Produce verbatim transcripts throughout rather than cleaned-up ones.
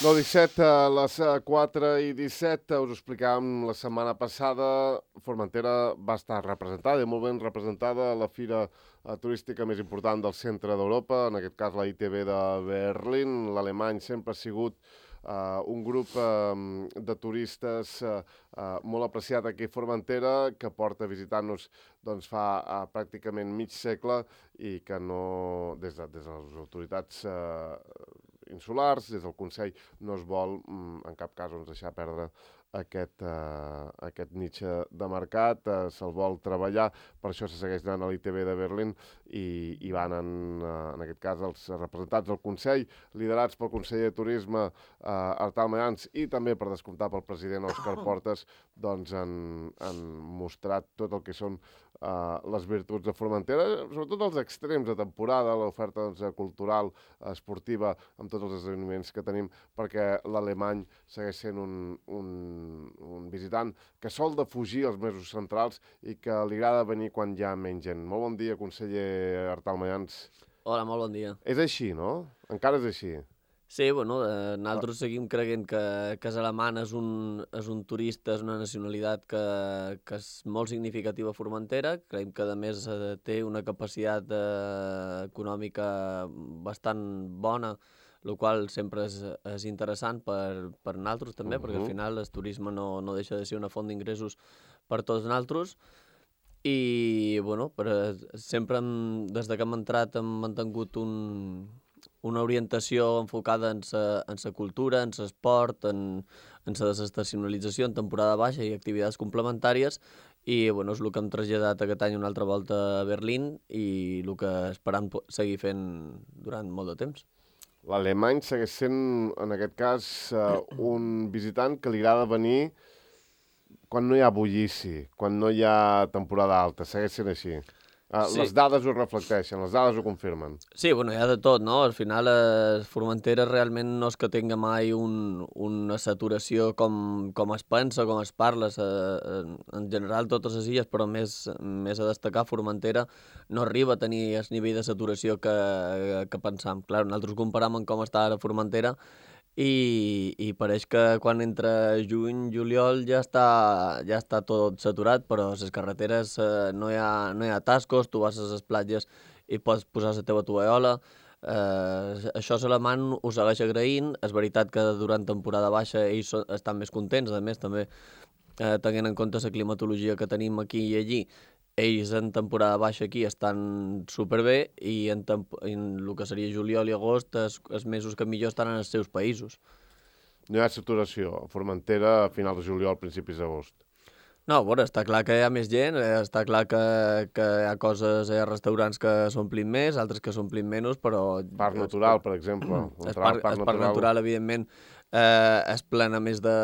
nou disset, a les quatre i disset, us ho explicàvem la setmana passada, Formentera va estar representada, i molt ben representada, a la fira turística més important del centre d'Europa, en aquest cas la I T B de Berlín. L'alemany sempre ha sigut uh, un grup uh, de turistes uh, uh, molt apreciat aquí a Formentera, que porta visitant-nos doncs, fa uh, pràcticament mig segle i que no, des de, des de les autoritats uh, insulars, des del Consell, no es vol en cap cas doncs, deixar perdre aquest, uh, aquest niche de mercat, uh, se'l vol treballar, per això se segueix anant a l'I T B de Berlín i, i van en, uh, en aquest cas els representats del Consell, liderats pel conseller de Turisme uh, Artal Mayans i també per descomptar pel president Òscar Portes, doncs han, han mostrat tot el que són Uh, les virtuts de Formentera, sobretot els extrems de temporada, l'oferta doncs, cultural, esportiva, amb tots els esdeveniments que tenim, perquè l'alemany segueix sent un, un, un visitant que sol defugir els mesos centrals i que li agrada venir quan hi ha menys gent. Molt bon dia, conseller Artal Mayans. Hola, molt bon dia. És així, no? Encara és així. Sí, bueno, eh, nosaltres seguim creient que, que és alemany, és un, és un turista, és una nacionalitat que, que és molt significativa a Formentera. Creiem que, a més, eh, té una capacitat eh, econòmica bastant bona, el qual sempre és, és interessant per, per nosaltres també, uh-huh. perquè al final el turisme no, no deixa de ser una font d'ingressos per tots nosaltres. I, bueno, per, sempre hem, des de que hem entrat hem mantingut un... una orientació enfocada en sa, en sa cultura, en l'esport, en, en la desestacionalització en temporada baixa i activitats complementàries, i bueno, és el que hem traslladat aquest any una altra volta a Berlín i el que esperam seguir fent durant molt de temps. L'alemany segueix sent, en aquest cas, uh, un visitant que li agrada venir quan no hi ha bullici, quan no hi ha temporada alta, segueix sent així. Uh, sí. Les dades ho reflecteixen, les dades ho confirmen. Sí, bueno, hi ha de tot, no? Al final, eh, Formentera realment no és que tinga mai un, una saturació com, com es pensa, com es parla. Eh, en general, totes les illes, però més, més a destacar, Formentera no arriba a tenir el nivell de saturació que, que pensam. Clar, nosaltres comparam amb com està ara Formentera, I, i pareix que quan entra juny, juliol ja està, ja està tot saturat, però a les carreteres eh, no, hi ha, no hi ha atascos, tu vas a les platges i pots posar la teva tovallola. Eh, això és alemany, ho segueix agraint. És veritat que durant temporada baixa ells estan més contents, a més també eh, tenint en compte la climatologia que tenim aquí i allí. Ells en temporada baixa aquí estan superbé i en, en el que seria juliol i agost els, els mesos que millor estan en els seus països. No hi ha saturació a Formentera a finals de juliol, principis d'agost. No, bueno, està clar que hi ha més gent, està clar que, que hi ha coses, hi ha restaurants que s'omplin més, altres que s'omplin menys, però... Parc natural, per exemple. El parc, parc, parc natural, natural evidentment, eh, es plena més de,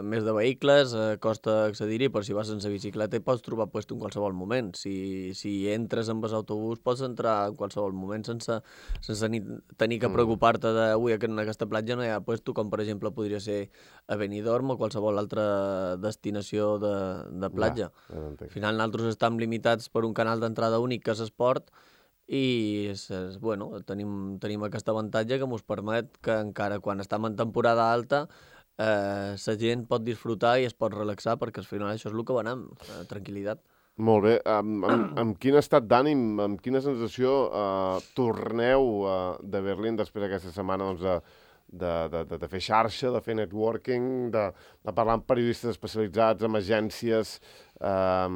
més de vehicles, eh, costa accedir-hi, però si vas sense bicicleta hi pots trobar puesto en qualsevol moment. Si, si entres amb l'autobús pots entrar en qualsevol moment sense, sense ni, tenir que preocupar-te de ui, en aquesta platja no hi ha puesto, com per exemple podria ser a Benidorm o qualsevol altra destinació de, de platja. Ja, ja Al final nosaltres estem limitats per un canal d'entrada únic que és esport, i és, és, bueno, tenim, tenim aquest avantatge que ens permet que encara quan estem en temporada alta eh, la gent pot disfrutar i es pot relaxar, perquè al final això és el que venem, eh, tranquil·litat. Molt bé. Amb, amb, amb quin estat d'ànim, amb quina sensació eh, torneu eh, de Berlín després d'aquesta setmana doncs, de, de, de, de, de fer xarxa, de fer networking, de, de parlar amb periodistes especialitzats, amb agències, eh,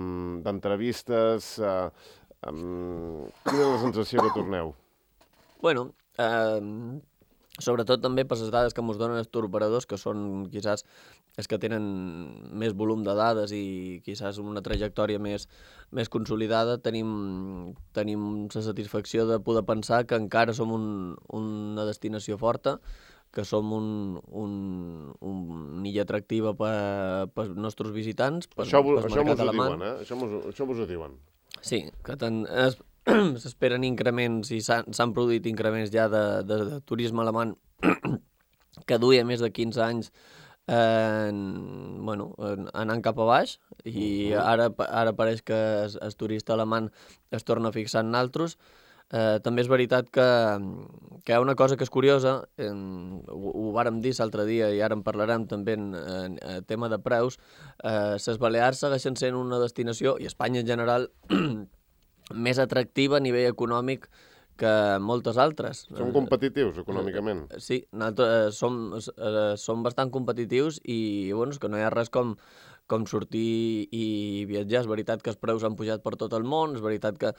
d'entrevistes... Eh, Um, quina és la sensació que torneu? Bueno, eh, sobretot també per les dades que ens donen els touroperadors, que són quizás els que tenen més volum de dades i quizás una trajectòria més, més consolidada, tenim, tenim la satisfacció de poder pensar que encara som un, una destinació forta, que som un, un, un illa atractiva per, per als nostres visitants, per, això per això mos ho diuen, eh? Això mos, això mos ho diuen. Sí, que s'esperen increments i s'han produït increments ja de, de, de turisme alemany que duia més de quinze anys eh, bueno, anant cap a baix i ara, ara pareix que el, el turista alemany es torna a fixar en nosaltres. Eh, també és veritat que, que hi ha una cosa que és curiosa, en, ho, ho vàrem dir l'altre dia i ara en parlarem també en, en, en tema de preus, eh, les Balears segueixen sent una destinació, i Espanya en general, més atractiva a nivell econòmic que moltes altres. Som competitius econòmicament. Eh, sí, nosaltres, eh, som, eh, som bastant competitius i bueno, és que no hi ha res com com sortir i viatjar. És veritat que els preus han pujat per tot el món, és veritat que,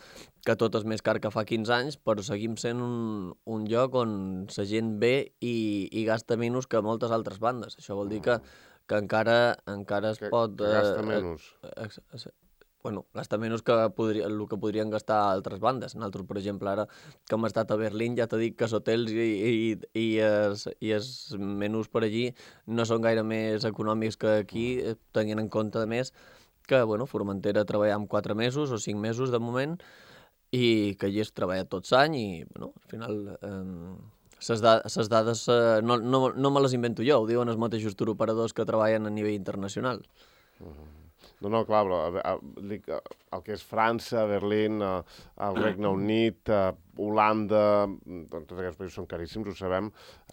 que tot és més car que fa quinze anys, però seguim sent un, un lloc on la gent ve i, i gasta menys que moltes altres bandes. Això vol dir que, que encara, encara es que, pot... Que gasta menys. Eh, eh, eh, bueno, gasta menys que podria, el que podrien gastar altres bandes. Nosaltres, per exemple, ara que hem estat a Berlín, ja t'he dit que els hotels i, i, i, els, i els menús per allí no són gaire més econòmics que aquí, tenint en compte, a més, que bueno, Formentera treballa amb quatre mesos o cinc mesos de moment i que allí es treballa tot l'any i bueno, al final... Eh, les da dades eh, no, no, no me les invento jo, ho diuen els mateixos turoperadors que treballen a nivell internacional. Uh-huh. No, no, clar, però el que és França, Berlín, el Regne Unit, Holanda, tots aquests països són caríssims, ho sabem.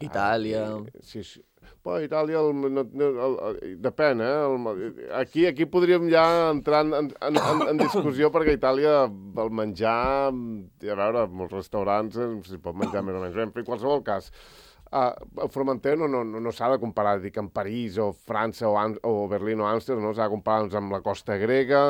Itàlia... Sí, sí. Però Itàlia, el, no, el, el, depèn, eh? El, aquí, aquí podríem ja entrar en, en, en, en discussió perquè a Itàlia el menjar, a veure, molts restaurants s'hi pot menjar més o menys bé, en qualsevol cas. Uh, Formentera no, no, no, no s'ha de comparar, dic, amb París o França o, Am o Berlín o Amsterdam, no s'ha de comparar doncs, amb la costa grega,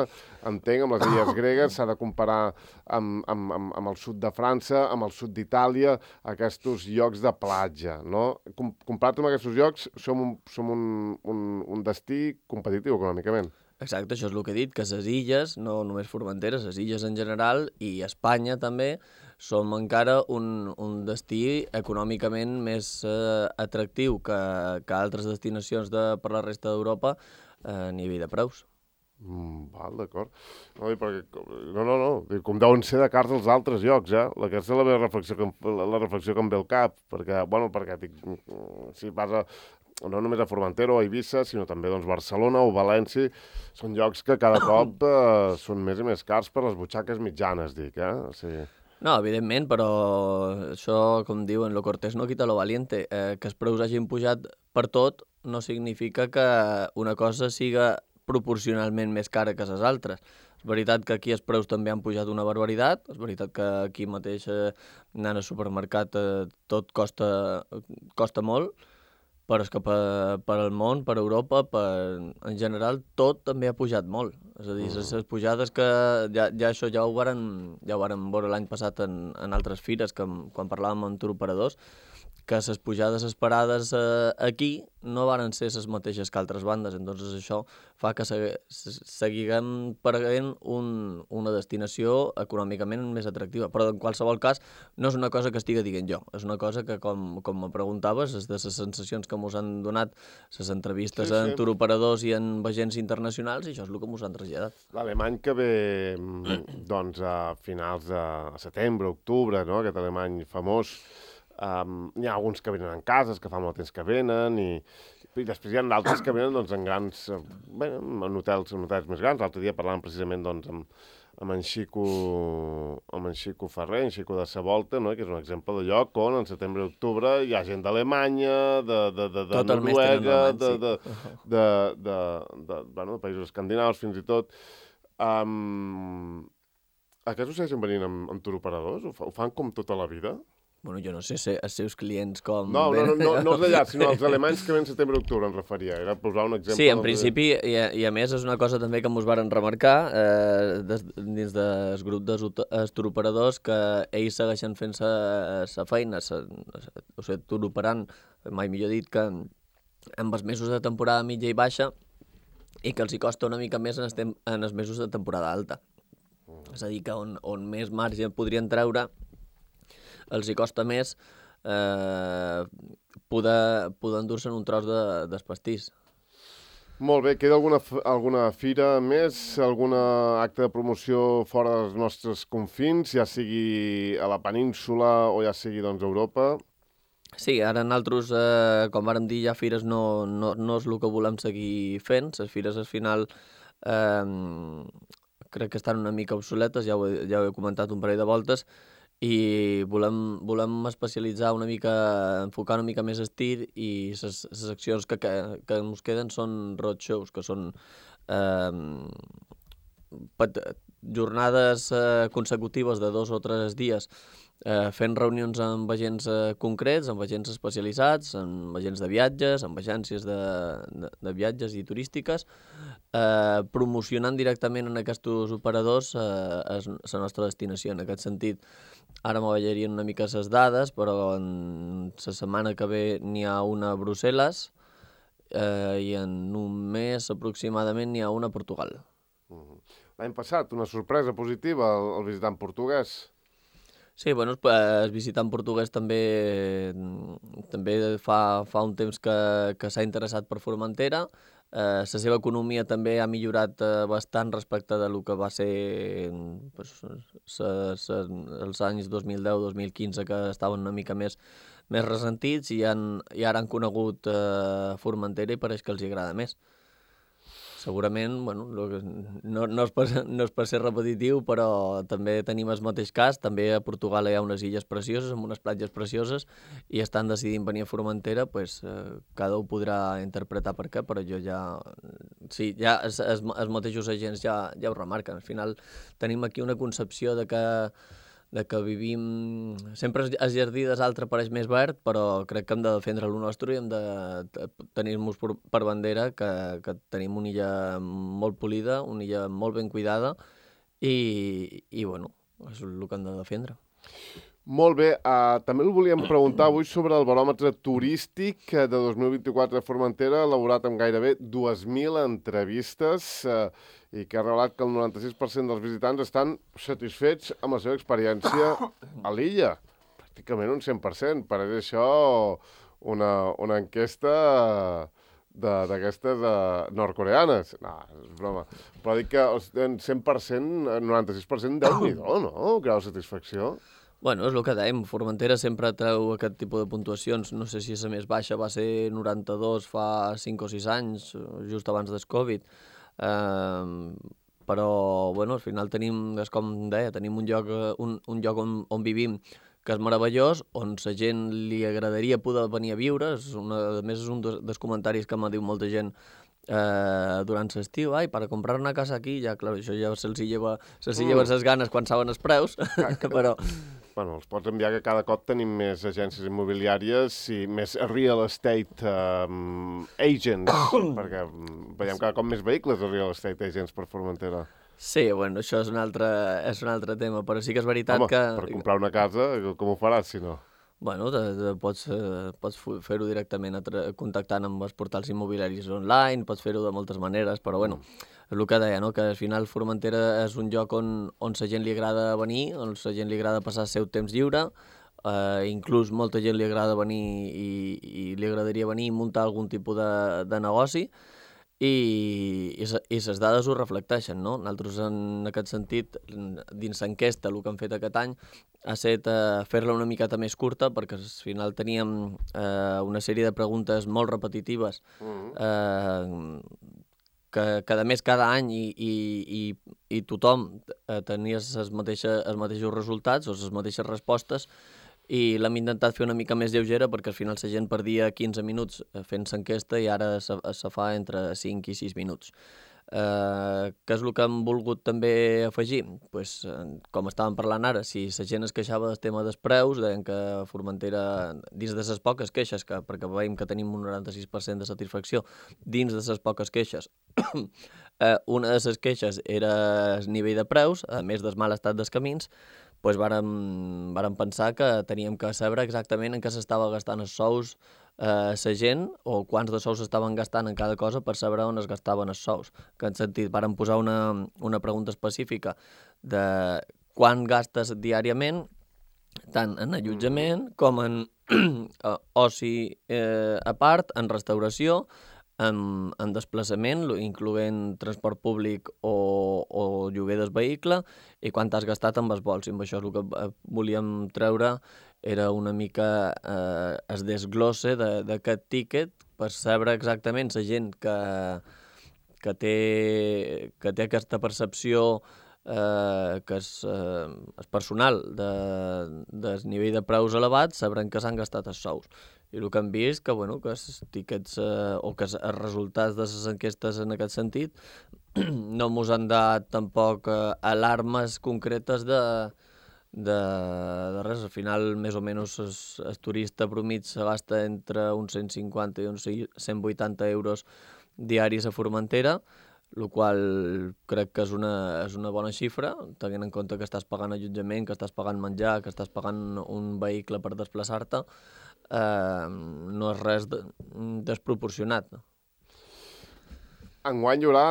entenc, amb les illes gregues, s'ha de comparar amb, amb, amb, amb el sud de França, amb el sud d'Itàlia, aquests llocs de platja, no? Com, comparat amb aquests llocs, som, un, som un, un, un destí competitiu econòmicament. Exacte, això és el que he dit, que les illes, no només Formentera, les illes en general, i Espanya també, som encara un, un destí econòmicament més eh, atractiu que, que altres destinacions de, per la resta d'Europa eh, a nivell de preus. Mm, val, d'acord. No, perquè, no, no, no, com deuen ser de cars els altres llocs, eh? Aquesta és la meva reflexió que, la, la reflexió que em ve al cap, perquè, bueno, perquè dic, si vas a, no només a Formentera o a Eivissa, sinó també doncs, Barcelona o València, són llocs que cada cop eh, són més i més cars per les butxaques mitjanes, dic, eh? O sigui... No, evidentment, però això, com diuen, lo cortés no quita lo valiente. Eh, que els preus hagin pujat per tot no significa que una cosa siga proporcionalment més cara que les altres. És veritat que aquí els preus també han pujat una barbaritat, és veritat que aquí mateix eh, anant al supermercat eh, tot costa, costa molt, però és que per, per al món, per Europa, per, en general, tot també ha pujat molt. És a dir, les, les pujades que ja, ja això ja ho varen, ja ho varen veure l'any passat en, en altres fires, que, quan parlàvem amb turoperadors, que les pujades esperades eh, aquí no varen ser les mateixes que altres bandes. Entonces això fa que segui, seguiguem perdent un, una destinació econòmicament més atractiva. Però en qualsevol cas no és una cosa que estigui dient jo, és una cosa que, com, com me preguntaves, és de les sensacions que ens han donat les entrevistes sí, sí. en turoperadors i en agents internacionals, i això és el que ens han traslladat. L'alemany que ve doncs, a finals de setembre, octubre, no? Aquest alemany famós, Um, hi ha alguns que venen en cases, que fa molt temps que venen, i, i després hi ha d'altres que venen doncs, en grans, bé, en hotels, en hotels més grans. L'altre dia parlàvem precisament doncs, amb, amb, en Xico, amb en Xico Ferrer, en Xico de Savolta, no? Que és un exemple de lloc on en setembre i octubre hi ha gent d'Alemanya, de, de, de, de Noruega, de, de, de, de, de, de, bueno, de països escandinaus fins i tot. Um, aquests ho segueixen venint amb, amb turoperadors? Ho, fa, ho fan com tota la vida? Bueno, jo no sé si els seus clients com... No, no, no, no, no els d'allà, sinó els alemanys que ven setembre i octubre, em referia. Era posar un exemple... Sí, en principi, i a, i a més és una cosa també que ens varen remarcar eh, des, dins del grup dels turoperadors, que ells segueixen fent sa feina, sa, o sigui, turoperant, mai millor dit, que amb els mesos de temporada mitja i baixa, i que els hi costa una mica més en els, en els mesos de temporada alta. Mm. És a dir, que on, on més marge podrien treure, els hi costa més eh, poder, poder endur-se'n un tros de, d'espastís. Molt bé, queda alguna, alguna fira més, algun acte de promoció fora dels nostres confins, ja sigui a la península o ja sigui doncs, a Europa? Sí, ara nosaltres, eh, com vàrem dir, ja fires no, no, no és el que volem seguir fent. Les fires al final eh, crec que estan una mica obsoletes, ja ho, he, ja ho he comentat un parell de voltes, i volem, volem especialitzar una mica, enfocar una mica més el tir, i les seccions que, que, que ens queden són roadshows, que són eh, pat, jornades eh, consecutives de dos o tres dies eh, fent reunions amb agents eh, concrets, amb agents especialitzats, amb agents de viatges, amb agències de, de, de viatges i turístiques, eh, promocionant directament en aquests operadors eh, la nostra destinació. En aquest sentit, ara m'avellarien una mica les dades, però en la setmana que ve n'hi ha una a Brussel·les eh, i en un mes aproximadament n'hi ha una a Portugal. Uh-huh. L'any passat, una sorpresa positiva, el, el visitant portuguès. Sí, bueno, el visitant portuguès també, també fa, fa un temps que, que s'ha interessat per Formentera. La eh, seva economia també ha millorat eh, bastant respecte de lo que va ser pues, sa, sa, els anys dos mil deu dos mil quinze, que estaven una mica més, més ressentits, i, han, i ara han conegut eh, Formentera i pareix que els agrada més. Segurament, bueno, no, no, és per, no és per ser repetitiu, però també tenim el mateix cas. També a Portugal hi ha unes illes precioses, amb unes platges precioses, i estan decidint venir a Formentera, pues, eh, cada un podrà interpretar per què, però jo ja... Sí, ja els, els, els mateixos agents ja, ja ho remarquen. Al final tenim aquí una concepció de que de que vivim... Sempre el jardí des altre pareix més verd, però crec que hem de defendre el nostre i hem de tenir-nos per, per bandera que, que tenim una illa molt polida, una illa molt ben cuidada, i, i bueno, és el que hem de defendre. Molt bé, uh, també el volíem preguntar avui sobre el baròmetre turístic de dos mil vint-i-quatre de Formentera, elaborat amb gairebé dues mil entrevistes, uh, i que ha revelat que el noranta-sis per cent dels visitants estan satisfets amb la seva experiència a l'illa. Pràcticament un cent per cent. Pareix això una, una enquesta d'aquestes uh, nord-coreanes. No, és broma. Però dic que en cent per cent, noranta-sis per cent, déu-n'hi-do, no? Grau de satisfacció. Bueno, és el que dèiem, Formentera sempre treu aquest tipus de puntuacions. No sé si la més baixa va ser noranta-dos fa cinc o sis anys, just abans del Covid. Uh, però, bueno, al final tenim, és com deia, tenim un lloc, un, un lloc on, on vivim que és meravellós, on la gent li agradaria poder venir a viure. És una, a més, és un dels comentaris que m'ha dit molta gent eh, durant l'estiu. Ai, per comprar una casa aquí, ja, clar, això ja se'ls lleva, se'ls lleva les ganes quan saben els preus, però... Bueno, els pots enviar que cada cop tenim més agències immobiliàries i més real estate um, agents, perquè veiem cada cop més vehicles de real estate agents per Formentera. Sí, bueno, això és un altre, és un altre tema, però sí que és veritat Home, que... per comprar una casa, com ho faràs, si no? Bueno, te, te pots, eh, pots fer-ho directament contactant amb els portals immobiliaris online, pots fer-ho de moltes maneres, però bueno, és el que deia, no? Que al final Formentera és un lloc on, on la gent li agrada venir, on la gent li agrada passar el seu temps lliure, eh, inclús molta gent li agrada venir i, i li agradaria venir i muntar algun tipus de, de negoci, i, i, i les dades ho reflecteixen, no? Nosaltres, en aquest sentit, dins l'enquesta, el que hem fet aquest any ha estat eh, fer-la una miqueta més curta, perquè al final teníem eh, una sèrie de preguntes molt repetitives, eh, que, que a més cada any i, i, i, i tothom eh, tenia els mateixos, els mateixos resultats o les mateixes respostes, i l'hem intentat fer una mica més lleugera perquè al final la gent perdia quinze minuts fent l'enquesta i ara se, se fa entre cinc i sis minuts. Eh, què és el que hem volgut també afegir? Pues, com estàvem parlant ara, si la gent es queixava del tema dels preus, deien que Formentera, dins de les poques queixes, que, perquè veiem que tenim un noranta-sis per cent de satisfacció, dins de les poques queixes, eh, una de les queixes era el nivell de preus, a més del mal estat dels camins, doncs vàrem, vàrem pensar que teníem que saber exactament en què s'estava gastant els sous eh, la gent o quants de sous s'estaven gastant en cada cosa per saber on es gastaven els sous. En aquest sentit, vàrem posar una, una pregunta específica de quan gastes diàriament, tant en allotjament com en oci eh, a part, en restauració, en, en desplaçament, incloent transport públic o, o lloguer del vehicle, i quant has gastat amb els vols. I amb això el que volíem treure era una mica eh, el desglosse d'aquest tíquet per saber exactament la gent que, que, té, que té aquesta percepció eh, que és, eh, és personal de, de nivell de preus elevats, sabran que s'han gastat els sous. I el que hem vist que, bueno, que els tiquets eh, o que els resultats de les enquestes en aquest sentit no ens han dat tampoc eh, alarmes concretes de, de, de res. Al final, més o menys, el turista promit se gasta entre uns cent cinquanta i uns cent vuitanta euros diaris a Formentera, el qual crec que és una, és una bona xifra, tenint en compte que estàs pagant allotjament, que estàs pagant menjar, que estàs pagant un vehicle per desplaçar-te, eh, no és res de, desproporcionat. Enguany hi haurà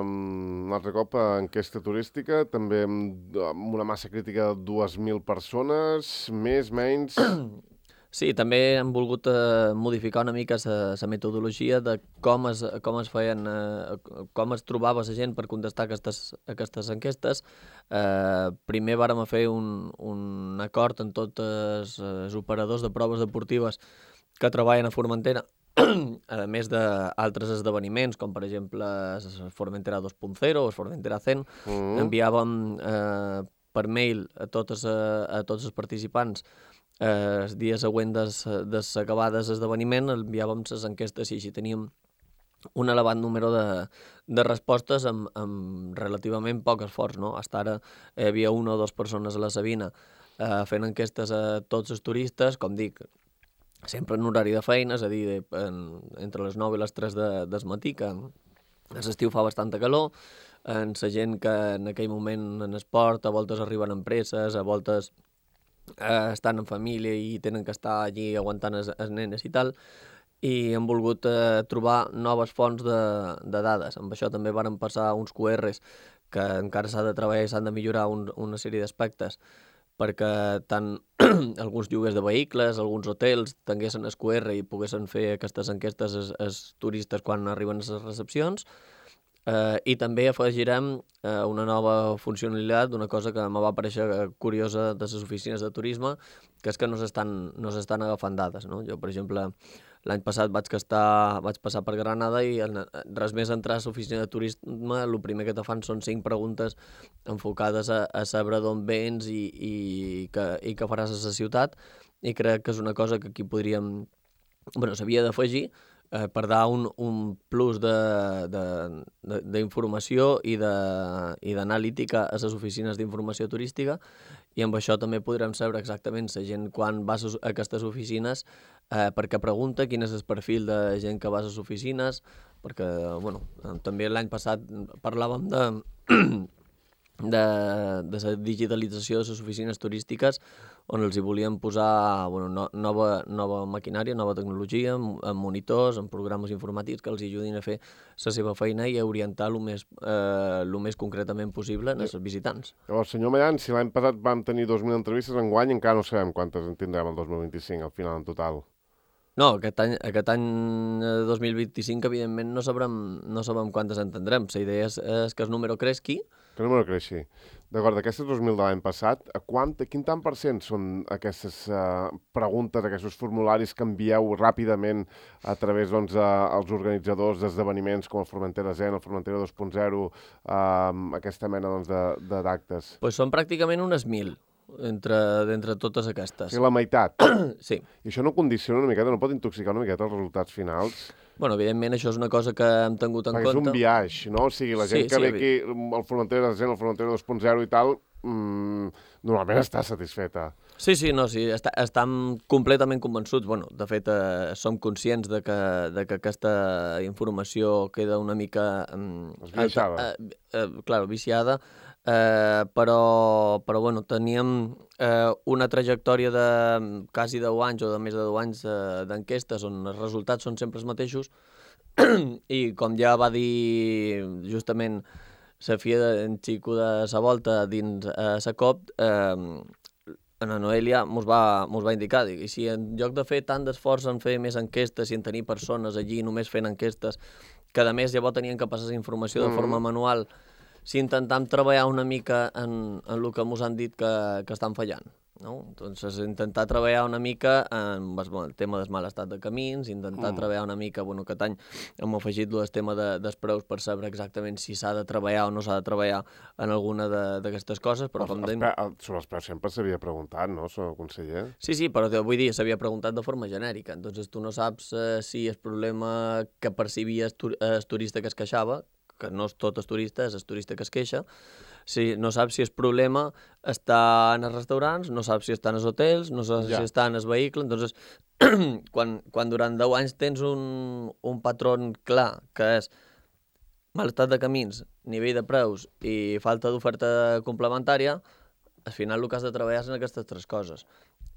um, un altre cop enquesta turística, també amb, amb una massa crítica de dues mil persones, més, menys... Sí, també hem volgut eh, modificar una mica la metodologia de com es, com es feien, eh, com es trobava la gent per contestar aquestes, aquestes enquestes. Eh, primer vàrem fer un, un acord amb tots els operadors de proves deportives que treballen a Formentera, a més d'altres esdeveniments, com per exemple el Formentera dos punt zero o el Formentera cent, mm. enviàvem eh, per mail a, totes, a, a tots els participants eh, els dies següents des, des acabades l'esdeveniment, enviàvem les enquestes i així teníem un elevat número de, de respostes amb, amb relativament poc esforç, no? Fins ara hi havia una o dues persones a la Sabina eh, fent enquestes a tots els turistes, com dic, sempre en horari de feina, és a dir, de, en, entre les nou i les tres de, del matí, que a l'estiu fa bastanta calor, en la gent que en aquell moment en esport, a voltes arriben empreses, a voltes eh, estan en família i tenen que estar allí aguantant els, els nenes i tal, i hem volgut eh, trobar noves fonts de, de dades. Amb això també varen passar uns Q Rs que encara s'ha de treballar i s'han de millorar un, una sèrie d'aspectes, perquè tant alguns lloguers de vehicles, alguns hotels tinguessin el Q R i poguessin fer aquestes enquestes als, als turistes quan arriben a les recepcions. Eh, I també afegirem eh, una nova funcionalitat d'una cosa que em va aparèixer curiosa de les oficines de turisme, que és que no s'estan no s'estan agafant dades, no? Jo, per exemple, l'any passat vaig, castar, vaig passar per Granada i en, res més entrar a l'oficina de turisme, el primer que te fan són cinc preguntes enfocades a, a saber d'on vens i, i, que, i què faràs a la ciutat, i crec que és una cosa que aquí podríem... Bueno, s'havia d'afegir eh, per dar un, un plus d'informació i d'analítica a les oficines d'informació turística, i amb això també podrem saber exactament la gent quan va a aquestes oficines, eh, perquè pregunta quin és el perfil de gent que va a les oficines, perquè, bueno, també l'any passat parlàvem de, de, de la digitalització de les oficines turístiques, on els hi volíem posar bueno, no, nova, nova maquinària, nova tecnologia, amb, amb monitors, amb programes informàtics que els ajudin a fer la seva feina i a orientar el més, eh, el més concretament possible als visitants. Llavors, senyor Mallan, si l'any passat vam tenir dos mil entrevistes, enguany encara no sabem quantes en tindrem el dos mil vint-i-cinc, al final en total. No, aquest any, aquest any dos mil vint-i-cinc, evidentment, no sabrem, no sabrem quantes en tindrem. La idea és, és que el número creixi. Que el número creixi. D'acord, d'aquestes dos mil de l'any passat, a quant, a quin tant per cent són aquestes uh, preguntes, aquests formularis que envieu ràpidament a través dels doncs, uh, organitzadors d'esdeveniments com el Formentera Zen, el Formentera dos punt zero, uh, aquesta mena doncs, d'actes? Doncs pues són pràcticament unes mil. Entre, d'entre totes aquestes. Sí, la meitat? Sí. I això no condiciona una miqueta, no pot intoxicar una miqueta els resultats finals? Bueno, evidentment, això és una cosa que hem tingut en Perquè compte. És un viatge, no? O sigui, la gent sí, que sí, ve aquí, el Formentera Zen, el Formentera dos punt zero i tal, mmm, normalment està satisfeta. Sí, sí, no, sí, està, estem completament convençuts. Bueno, de fet, eh, som conscients de que, de que aquesta informació queda una mica... Eh, Esbiaixada. Eh, eh, clar, viciada, eh, però, però bueno, teníem eh, una trajectòria de quasi deu anys o de més de deu anys eh, d'enquestes on els resultats són sempre els mateixos i com ja va dir justament la filla d'en Xico de sa volta dins eh, sa cop, eh, la Noelia mos va, mos va indicar, i si en lloc de fer tant d'esforç en fer més enquestes i en tenir persones allí només fent enquestes, que a més llavors tenien que passar la informació de forma manual, si intentem treballar una mica en, en el que mos han dit que, que estan fallant. no? Doncs intentar treballar una mica amb el tema del mal estat de camins, intentar mm. treballar una mica, bueno, aquest any hem afegit el tema de, dels preus per saber exactament si s'ha de treballar o no s'ha de treballar en alguna d'aquestes coses, però com dèiem... Sobre els preus sempre s'havia preguntat, no, senyor conseller? Sí, sí, però vull dir, s'havia preguntat de forma genèrica, entonces tu no saps eh, si el problema que percibia el, tur el turista que es queixava, que no és tot el turista, és el turista que es queixa, si no saps si el problema està en els restaurants, no saps si està en els hotels, no saps ja. si està en el vehicle, entonces quan, quan durant deu anys tens un, un patró clar, que és mal estat de camins, nivell de preus i falta d'oferta complementària, al final el que has de treballar és en aquestes tres coses.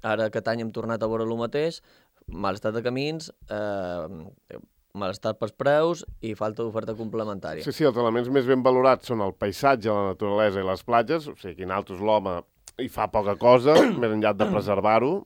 Ara aquest any hem tornat a veure el mateix, mal estat de camins, eh, malestar pels preus i falta d'oferta complementària. Sí, sí, els elements més ben valorats són el paisatge, la naturalesa i les platges, o sigui, aquí nosaltres l'home hi fa poca cosa, més enllà de preservar-ho.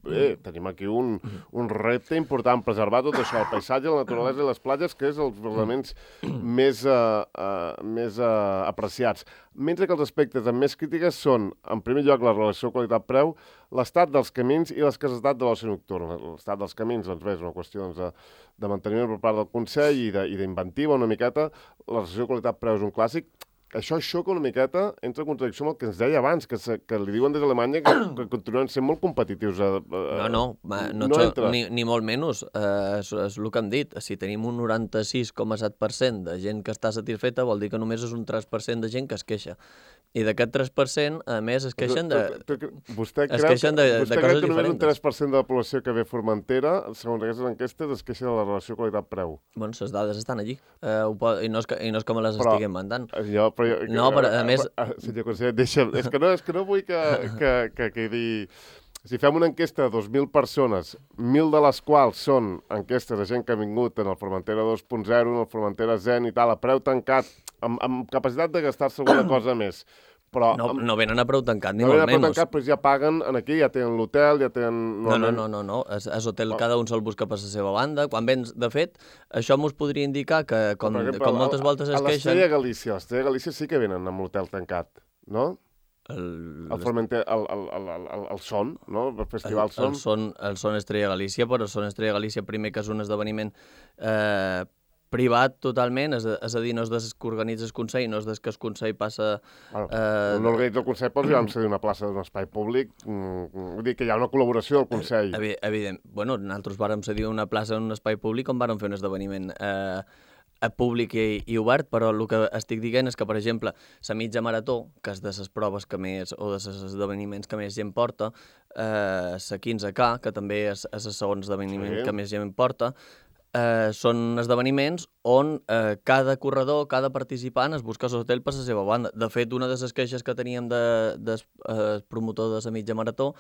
Bé, tenim aquí un, un repte important, preservar tot això, el paisatge, la naturalesa i les platges, que és els elements més, uh, uh, més uh, apreciats. Mentre que els aspectes amb més crítiques són, en primer lloc, la relació qualitat-preu, l'estat dels camins i l'escassetat de l'oci nocturn. L'estat dels camins, doncs bé, és una qüestió doncs, de, de manteniment per part del Consell i d'inventiva una miqueta. La relació qualitat-preu és un clàssic. Això xoca una miqueta, entra en contradicció amb el que ens deia abans, que, se, que li diuen des d'Alemanya que, que continuen sent molt competitius. A, a, no, no, ma, no, no entra. Ni, ni molt menys. Uh, és, és el que hem dit. Si tenim un noranta-sis coma set per cent de gent que està satisfeta, vol dir que només és un tres per cent de gent que es queixa. I d'aquest tres per cent, a més, es queixen de, vostè es queixen de, vostè de coses diferents. Vostè creu que només un tres per cent de la població que ve a Formentera, segons aquestes enquestes, es queixa de la relació qualitat-preu? Bueno, les dades estan allí. Uh, pot, i, no és que, I no és que me les però, estiguem mandant. Jo, però jo, no, però a més... Senyor conseller, deixa'm... És que no, és que no vull que, que, que quedi... Si fem una enquesta de dos mil persones, mil de les quals són enquestes de gent que ha vingut en el Formentera dos punt zero, en el Formentera Zen i tal, a preu tancat, amb, amb capacitat de gastar-se alguna cosa més. Però, no, no venen a preu tancat, ni no molt menys. No venen a preu tancat, però ja paguen aquí, ja tenen l'hotel, ja tenen... No, no, no, no, no. És, és hotel, cada un se'l busca per la seva banda. Quan vens, de fet, això mos podria indicar que, com, exemple, com moltes voltes es queixen... A l'Estrella Galícia, a l'Estrella Galícia sí que venen amb l'hotel tancat, no? El, el, Formente, el, el, el, el, el Son, no? El Festival Son. El, el, son, el Son Estrella Galícia, però el Son Estrella Galícia primer que és un esdeveniment eh, privat totalment, és a, és a dir, no és des que organitza el Consell, no és des que el Consell passa... Bueno, eh, no organitza el Consell, però ja vam cedir una plaça d'un espai públic, mm, vull dir que hi ha una col·laboració del Consell. Evident. Bueno, nosaltres vàrem cedir una plaça en un espai públic on vàrem fer un esdeveniment eh, públic i, i obert, però el que estic dient és que, per exemple, la mitja marató, que és de les proves que més, o de els esdeveniments que més gent porta, eh, la quinze K, que també és, és el segon esdeveniment sí. que més gent porta, eh, són esdeveniments on eh, cada corredor, cada participant es busca l'hotel per la seva banda. De fet, una de les queixes que teníem del de, eh, promotor de la mitja marató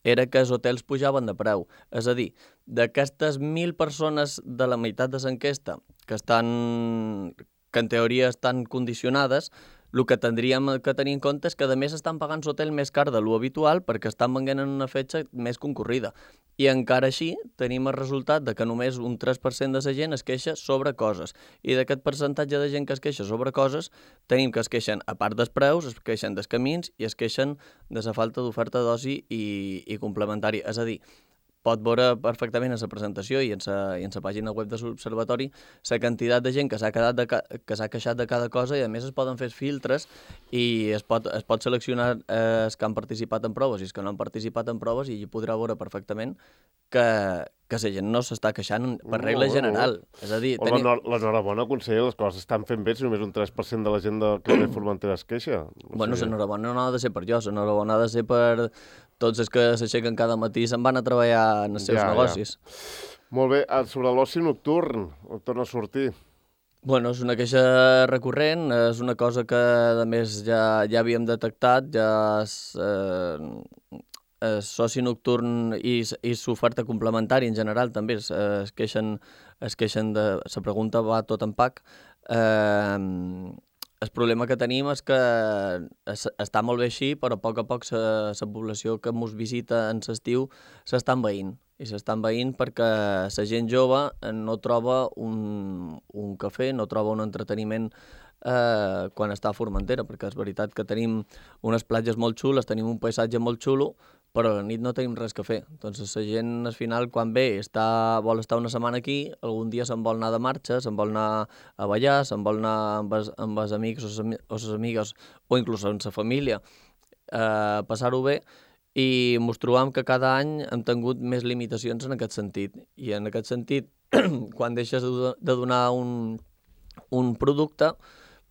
era que els hotels pujaven de preu. És a dir, d'aquestes mil persones de la meitat de l'enquesta que estan, que en teoria estan condicionades, el que tindríem que tenir en compte és que a més estan pagant l'hotel més car de lo habitual perquè estan venent en una fetge més concorrida. I encara així tenim el resultat de que només un tres per cent de la gent es queixa sobre coses. I d'aquest percentatge de gent que es queixa sobre coses, tenim que es queixen, a part dels preus, es queixen dels camins i es queixen de la falta d'oferta d'oci i, i complementària. És a dir, pot veure perfectament en la presentació i en la, i en la pàgina web de l'Observatori la quantitat de gent que s'ha quedat de ca, que s'ha queixat de cada cosa i a més es poden fer filtres i es pot, es pot seleccionar eh, els que han participat en proves i els que no han participat en proves i hi podrà veure perfectament que, que la gent no s'està queixant per regla no, general. No. És a dir, o tenim... L'enhorabona, conseller, les coses estan fent bé si només un tres per cent de la gent de que ve Formentera es queixa. O bueno, sigui... l'enhorabona no ha de ser per jo, l'enhorabona ha de ser per tots els que s'aixequen cada matí i se'n van a treballar en els seus ja, negocis. Ja. Molt bé, sobre l'oci nocturn, on torna a sortir? Bueno, és una queixa recurrent, és una cosa que, a més, ja, ja havíem detectat, ja és, eh, el soci nocturn i, i l'oferta complementària en general també es, es queixen, es queixen de... La pregunta va tot en pack. Eh, el problema que tenim és que es, està molt bé així, però a poc a poc la població que ens visita en l'estiu s'està envaint. I s'està envaint perquè la gent jove no troba un, un cafè, no troba un entreteniment eh, quan està a Formentera, perquè és veritat que tenim unes platges molt xules, tenim un paisatge molt xulo, però a la nit no tenim res que fer. Doncs la gent, al final, quan ve, està, vol estar una setmana aquí, algun dia se'n vol anar de marxa, se'n vol anar a ballar, se'n vol anar amb els, amb els amics o les amigues, o inclús amb la família, eh, passar-ho bé, i mos trobam que cada any hem tingut més limitacions en aquest sentit. I en aquest sentit, quan deixes de, de donar un, un producte,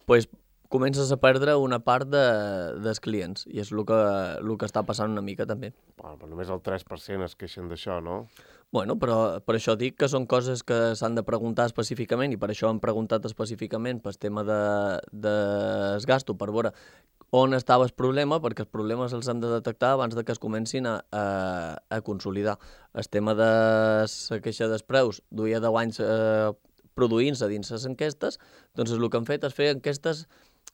pues, comences a perdre una part de, dels clients, i és el que, el que està passant una mica també. Bueno, però només el tres per cent es queixen d'això, no? Bueno, però per això dic que són coses que s'han de preguntar específicament, i per això hem preguntat específicament pel tema de, de gasto, per veure on estava el problema, perquè els problemes els hem de detectar abans de que es comencin a, a, a consolidar. El tema de la queixa dels preus duia deu anys eh, produint-se dins les enquestes, doncs el que hem fet és fer enquestes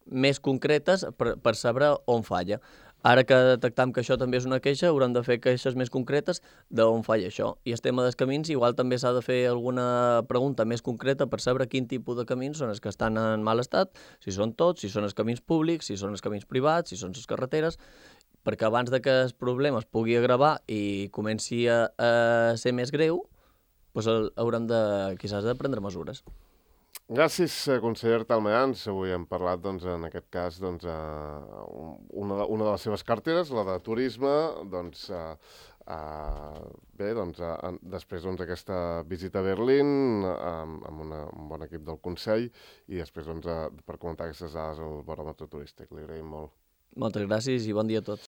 més concretes per, per saber on falla. Ara que detectam que això també és una queixa, haurem de fer queixes més concretes d'on falla això. I el tema dels camins, igual també s'ha de fer alguna pregunta més concreta per saber quin tipus de camins són els que estan en mal estat, si són tots, si són els camins públics, si són els camins privats, si són les carreteres, perquè abans de que el problema es pugui agravar i comenci a, a ser més greu, doncs haurem de, quizás, de prendre mesures. Gràcies, conseller Artalmeans. Avui hem parlat, doncs, en aquest cas, doncs, uh, una, una de les seves carteres, la de turisme, doncs, uh, uh, bé, doncs, uh, després doncs, aquesta visita a Berlín uh, amb una, un bon equip del Consell, i després, doncs, uh, per comentar aquestes dades al baròmetre turístic. Li agraïm molt. Moltes gràcies i bon dia a tots.